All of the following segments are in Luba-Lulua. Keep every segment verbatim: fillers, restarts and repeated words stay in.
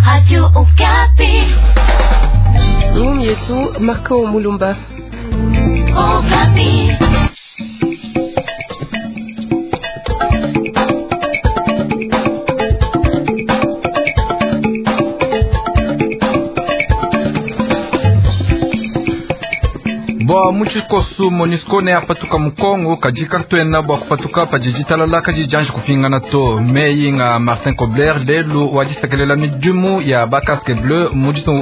Radio Okapi. Ngumu yetu Marco Mulumba. Okapi. Bua muchikosu MONUSCO ne apatuka mukongo kajika twena bua kupatuka padijitalala kadijanji kupingana to meyi nga Martin Kobler lelu wadisekelela midimu ya bacasque bleu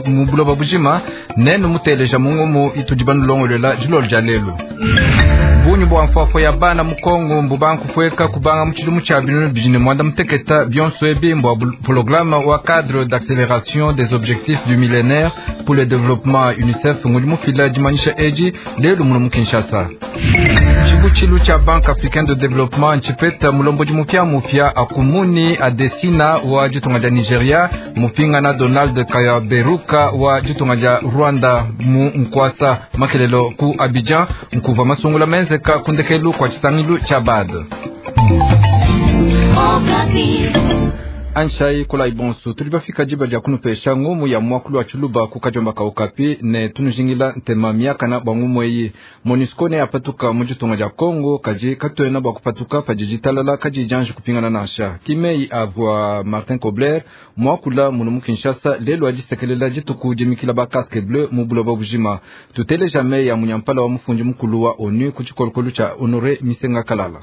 mu buloba bujima nenu muteleja mungumu itudi banulongolela dilolo dia lelu bunyi bua mfuafua ya bana mukongo mbubankufueka kubanga mutshidimu tshia binunu bidi ne mwanda muteketa bionso ebi mbua programme wa cadre d'accélération des objectifs du millénaire pour le développement UNICEF ngudi mufila dimanyisha edi lelu muno mu Kinshasa tshibutshilu tshia banque africaine de développement ntshipeta mulombodi mupia-mupia akumuni adesina wa ditunga dia Nigeria mupingana Donald Kaberuka wa ditunga dia Rwanda mu nkwasa makelelo ku Abidjan nkuva masungula menzeka kundekelu kwa tshisangilu tshia B A D. Anshai kola ibonso tuli bafika diba dia kunupesha ngumu ya mwakulu wa tshiluba ku kadiomba ka Okapi ne tunujingila ntema miakana bua ngumu eyi. MONUSCO ne apatuka mu ditunga dia Congo kadi katuena bua kupatuka padi ditalala kadi dianji kupingana nansha. Kimeyi avua Martin Kobler muakula munu mu Kinshasa lelu adisekelela dituku dimikila ba casque bleu mu buloba bujima. Tuteleja meyi ya munyampala wa mufundi mukulu wa ONU ku tshikolokolo tshia Honore Misenga Kalala.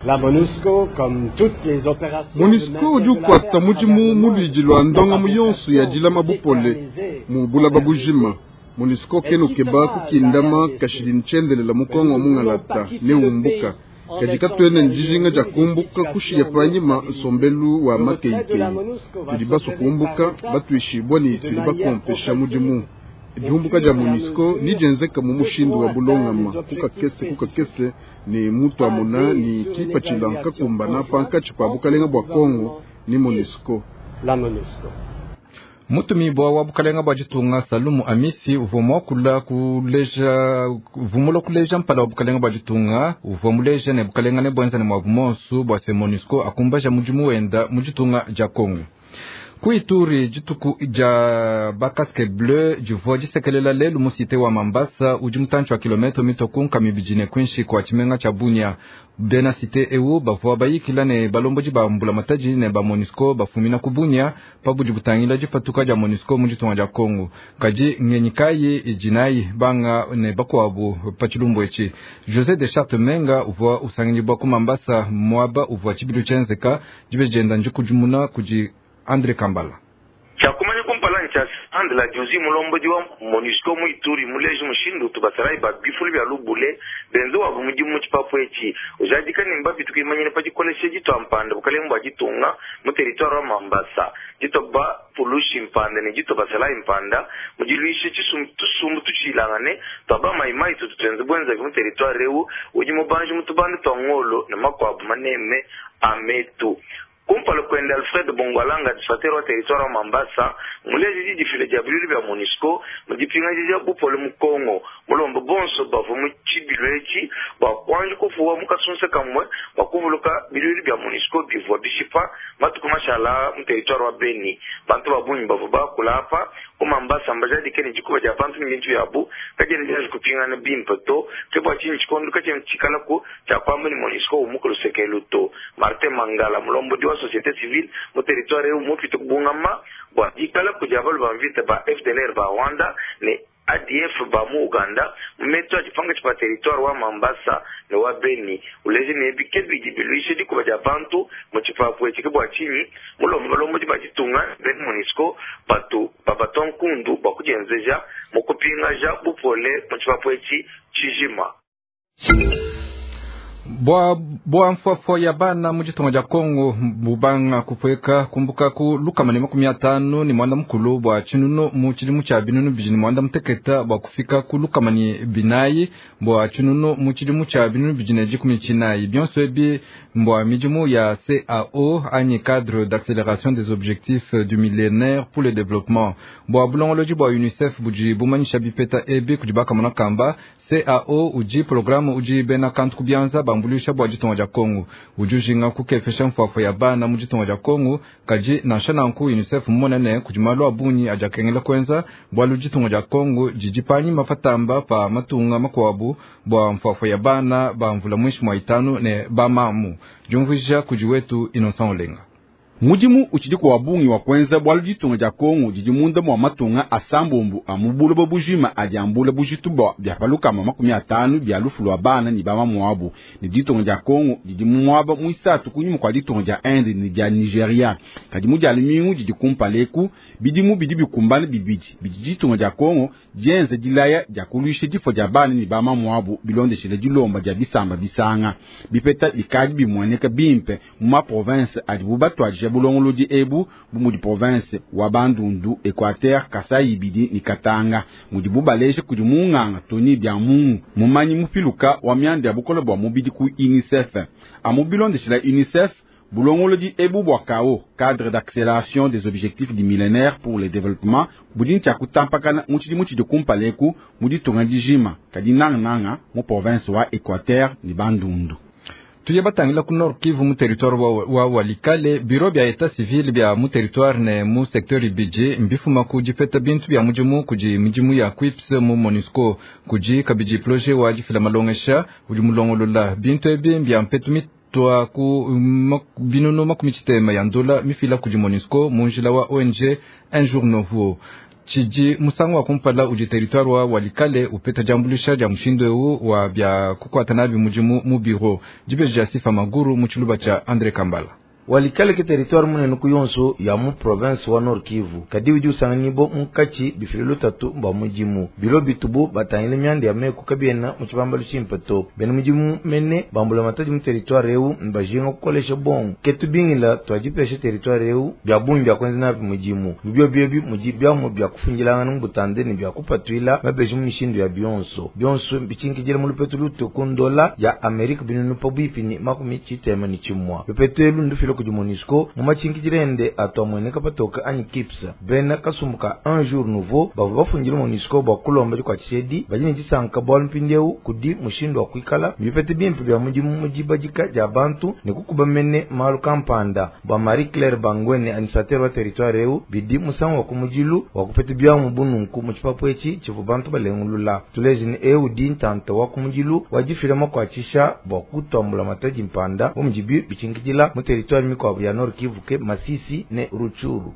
La MONUSCO, comme toutes les opérations MONUSCO udi ukwata mudimu mulwidi lwa ndonga yonso ya dilama bupole mu bulaba bujima. MONUSCO keno keba kukindama kashidi ntsendelela mukongo wa mungalata ne umbuka kadi katuene ndijinga dia kumbuka kushiya panyima nsombelu wa makeikeyi. Tudi baso kumbuka batuishibwa ni tudi bakompesha mudimu. Dihumbuka dia MONUSCO nijenzeka mu mushindu wa bulongama kukakese kukakese ne mutu amuna ni kipatshila nkakumbana pankatshi pa bukalenga bua Kongo ni MONUSCO. La MONUSCO. Mutumibua wa bukalenga bua ditunga Salumu Amisi uvua muakula kuleja uvumula kuleja mpala wa bukalenga bua ditunga uvua muleja ne bukalenga ne buenza ne muabu monsu bua se MONUSCO akumbaja mudimu wenda mu ditunga dia Kongo. Ku Ituri dituku dia bacasque bleu divua disekelela lelu mu cité wa Mambasa udi mutantshi wa kilometre mitoku nkama ibidi ne kuinshi kua tshimenga tshia Bunia. Bena cité ewu bavua bayikila ne balombodi ba mbulamatadi ne ba MONUSCO bafumina ku Bunia pabudi butangila dipatuka dia MONUSCO mu ditunga dia Kongo. Kadi ngenyi kayi idi nayi banga ne bakuabu pa tshilumbu etshi? José de Charte Menga uvua usanganyibua ku Mambasa muaba uvua tshibilu tshienzeka dibe dienda ndikudimuna kudi André Kambala. Tshiakumanya kumpala ntshia andela diozi mulombodi wa MONUSCO mu Ituri muleji mushindu tubasalayi ba bifulu bya lubule benze wabu mudimu mu tshipapu etshi ujadika ne mbabi tukuimanyine pa dikolesha ditua mpanda bukalenga bua ditunga mu territoire wa Mambasa ditoba pulushi mpanda ne ditoba basalayi mpanda mudiluishe tusumbu tutshilangane twaba mayimayi tutu tuenze bwenzavi mu territoire ewu udi mubanji mutubanda tua ngolo ne makuabu maneme ametu. Kumpala kwenda Alfred Bongwalanga administrateur wa territoire wa Mambasa muleji didifile dia bilulu bya MONUSCO mudipingaji dia bupole mu Kongo mulombo bonso bavua mu tshibilu etshi bua kuanji kufuwa mu kasunsa kamwe bua kuvuluka bilulu bya MONUSCO bivua bishipa matuku mashala mu territoire wa Beni. Bantu ba bungi bavua bakula apa ku Mambasa mbajadike ne dikuba dia bantu ne bintu byabu kadiena dianji kupingana bimpe to ke bua tshinyi tshikondo katshiena tshikalaku tshia kuamba ne MONUSCO umuka lusekelu to. Martin Mangala mulombodi wa société civile mu territoire ewu mupite kubungama bua dikala kudi abalu ba mvita ba F D L R ba Rwanda ne A D F ba mu Uganda mu metu adipanga tshipa territoire wa Mambasa ne wa Beni uleje ne bike bidi biluishe dikuba dia bantu mu tshipapu etshi ke bua tshinyi mulomba balombodi ba ditunga bena MONUSCO batu babatua nkundu bua kudienzeja mu kupingaja bupole mu tshipapu etshi tshijima. Bua bua mfuafua ya bana mu ditunga dia Kongo bubanga kupueka kumbuka ku lukama ne makumi atanu ne mwanda mukulu bua tshinunu mu tshidimu tshia binunu bidi ne mwanda muteketa bua kufika ku lukama ne binayi bua tshinunu mu tshidimu tshia binunu bidi ne dikumi tshinayi. Bionso ebi mbua midimu ya C A O anyi cadre d'accélération des objectifs du millénaire pour le développement bua bulongolodi bua UNICEF budi bumanyisha bipeta ebi kudi bakamona kamba. C A O udi programu udi bena kantu kubianza bambuluisha bua ditunga dia Kongo udi ujinga kukepesha mfuafua ya bana mu ditunga dia Kongo kadi nansha nanku UNICEF mmonene kudi malu a bungi adi akengela kuenza bualu ditunga dia Kongo didi panyima patamba pa matunga makuabu bua mfuafua ya bana ba mvula muinshi mua itanu ne bamamu diumvuija kudi wetu Innocent Olenga. Mudimu utshidi kwa bungi wa kwenza bwalu ditunga dia Kongo didi munda mwa matunga asambombo a mu buloba bujima adi ambula bujitu bwa bya palukama makumi atanu bya lufu lwa bana ni bamamu wabu ni ditunga dia Kongo didi mu mwaba muisatu kunyuma kwa ditunga dia Inde ni dia Nigeria kadi mu dia lumingu didi kumpaleku bidimu bidi bikumbana bibidi bidi ditunga dia Kongo dienza dilaya dia kuluisha difo dia bana ni bamamu wabu bilondeshele dilomba dia bisamba bisanga bipeta bikadi bimueneka bimpe mu ma province adi bubatwadija bulongolodi ebu bu mudi province wa Bandundu, Equateur, Kasai ibidi ni Katanga mudi bubaleje kudi munganga Tony Byamungu mumanyi mupiluka wa mianda ya bukola bwa mubidi ku UNICEF amu bilondeshela UNICEF bulongolodi ebu bwa K O, cadre d'accélération des objectifs du millénaire pour le développement, budi ntshia kutampakana mu tshidimu tshidi kumpaleku mu ditunga dijima kadi nangananga mu province wa Equateur ni Bandundu. Tuye batangila ku Nord Kivu mu territoire wa, wa Walikale bureau bya état civil bya mu territoire ne mu secteur ibidi mbifuma ku dipeta bintu bya mudimu kudi midimu ya Quips mu MONUSCO kudi kabidi projet wa difila malongesha udi mulongolola bintu ebi mbya mpetu mitwa ku binunu makumi tshitema ya ndola mifila kudi MONUSCO mu njila wa O N G Un Jour Nouveau tshidi musangu wa kumpala udi territoire wa Walikale upeta diambulisha dia mushindu eu wa bya kukwata nabi mudimu mu bureau dibeji dia Sifa Maguru mu tshiluba tshia André Kambala. Walikale ke territoire munene ku yonso ya mu province wa Nord Kivu kadi udi usanganyibo munkatshi bifililo tatu mba mudimu bilo bitubu batangile mianda ya meku kabiena mu tshibambalu tshimpe to bena mudimu mene bambula matadi mu territoire eu mbajinga kukolesha bongo ketu bingila twajipesha territoire eu bya bungi bya kwenza nabi mudimu bibyo byebi mudi byamu bya kufungilangana mu butande ne bya kupatwila mabeji mu mishindu ya bionso bionso bichinkijile mu lupetu luto ku ndola ya Amerika binunu pabuipi ni makumi tshitema ni tshimwa lupetu elu ndufilo kudi MONUSCO mu machinkijilende atwamweneka patoka anyi kipsa bena kasumbuka Un Jour Nouveau bavua bafundile MONUSCO bua kulomba dikuatshishedi badi ne disanka bualu mpindieu kudi mushindu wa kuikala bipete bimpe bya mudimu mu dibadika dia bantu ne kukuba mene malu kampanda bua Marie Claire Bangwene administrateur wa territoire eu bidi musangu wa kumudilu wa kupeta byamu bununku mu tshipapu etshi tshivua bantu balengulula tuleje ne eu di ntanta wa kumudilu wa difila makuatshisha bua kutwambula matadi mpanda bu mudibi bichinkijila mu territoire mikwabu ya Nord Kivu ke Masisi ne Rutshuru.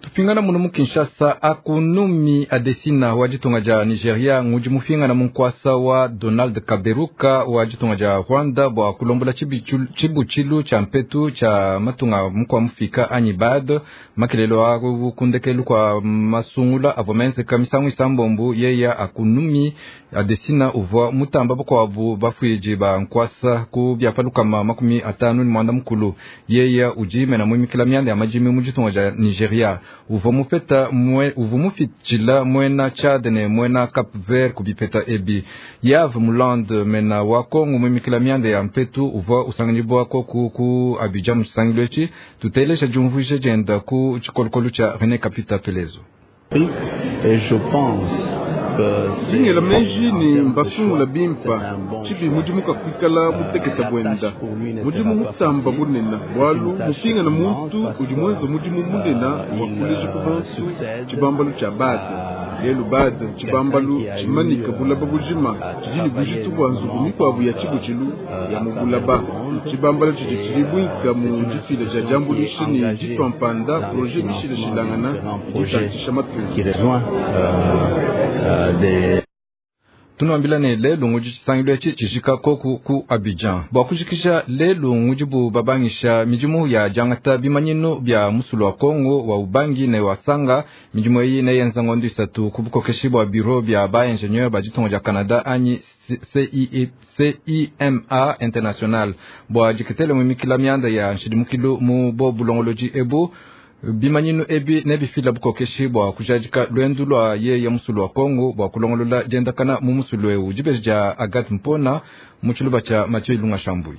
Tupingana muno mu Kinshasa akunumi Adesina wa ditunga dia Nigeria ngudi mufingana mu nkwasa wa Donald Kaberuka wa ditunga dia Rwanda bua kulombola tshibutshilu tshia mpetu tshia matunga mukwa mufika anyi bad makelelo a kundekelu kwa masungula avua menzeka misangu isambombu yeya akunumi Adesina uvua mutamba bakuabu bafuiji ba nkwasa ku biapalukama makumi atanu ni mwanda mukulu yeya udi mena muimikila mianda ya majimi mu ditunga dia Nigeria uvua mupeta mwe uvua mufitshila mwena Chad ne mwena Cap Vert kubipeta ebi Yves Muland mena wa Kongo muimikila mianda ya mpetu uvua usanganyibwa koku ku Abidjan mu tshisangilu etshi tutelesha diumvuija dienda ku tshikolokolo tshia René Kapita Pelezo. Et je pense Dingela meji ni mbasungula bimpa tshibi mudimu kakuikala muteketa bwenda mudimu mutamba bunena bwalu mupingana muntu udi mwenza mudimu munena wa kuleja ku bantu tshibambalu tshia bade lelu bade tshibambalu tshimanika bulaba bujima tshidi ne bujitu bua nzubu mikuabu ya tshibutshilu ya mu bulaba tshibambalu tshidi tshilibuika mu difila dia diambuluisha ne ditwampanda projet mishilashilangana idi matunga. Tunuambila ne lelu ngudi tshisangilu etshi tshijika koku ku Abidjan bua kujikisha lelu ngudi bu babangisha midimu ya diangata bimanyinu bia musulu wa Kongo wa Ubangi ne wa Sanga midimu eyi neyenza ngondo isatu ku bukokeshi bua bureau bia ba ingénieur ba ditunga dia Canada anyi C I M A International bua diketele muimikila mianda ya nshidimukilu mu bo bulongolodi ebu bimanyinu ebi nebifila bukokeshi bua kujadika lwendu lwa ye ya musulu wa Kongo bua kulongolola diendakana mu musulu eu dibeji dia Agathe Mpona mu tshiluba tshia Mathieu Ilunga Shambui.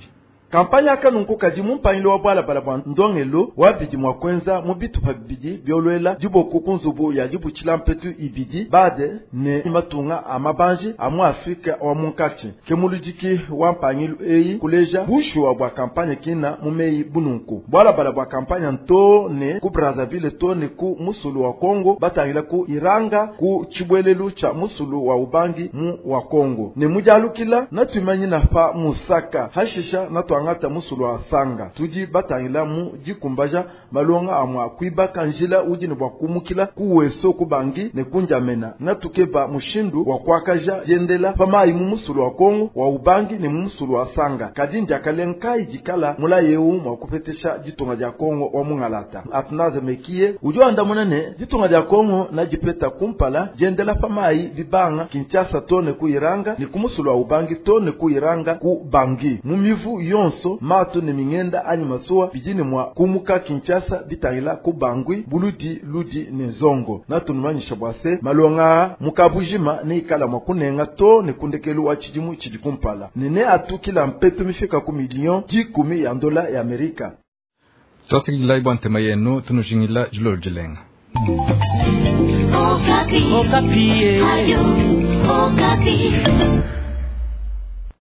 Kampanya aka nunku kadi mu mpangilo wa bwalabala bwa ndongelo wa bidi mwa kwenza mu bitupa bibidi byolwela diboku ku nzubu ya dibutshila mpetu ibidi bade ne matunga a mabanji a mu Afrika wa munkatshi. Ke muludiki wa mpangilu eyi kuleja bushuwa bwa kampanya kina mu meyi bununku. Bwalabala bwa kampanya nto ne ku Brazzaville to ne ku musulu wa Kongo batangila ku Iranga ku tshibwelelu tsha musulu wa Ubangi mu wa Kongo. Ne mujalukila natuimanyina pa Musaka hashisha natuangata musulu wa Sanga. Tudi batangila mu dikumbaja malonga amwa kuibaka njila udi ne bwa kumukila ku Weso ku Bangi ne ku N'Djamena. Natukeba mushindu wa kuakaja diendela pa mayi mu musulu wa Kongo wa Ubangi ne mu musulu wa Sanga. Kadi ndiakalenga dikala mulayi eu mwa kupetesha ditunga dia Kongo wa mungalata. Atnaze Mekie udi wandamuna ne ditunga dia Kongo na dipeta kumpala diendela pa mayi bibanga Kinshasa to ne ku Iranga ne ku musulu wa Ubangi to ne ku Iranga ku Bangi. Mu mivu yonso mato ne mingenda anyi masuwa bidine mwa kumuka Kinshasa bitangila ku Bangui buludi ludi ne zongo. Natunumanyisha bwa se malonga mukabujima ne ikala mwa kunenga to ne kundekelu wa chidimu chidi kumpala. Nene atukila mpetu mifika ku milion dikumi ya ndola ya Amerika. Twasikilai bwa ntema yenu tunujingila jilolo jilenga. Okapi. Okapi. Ayo, Okapi.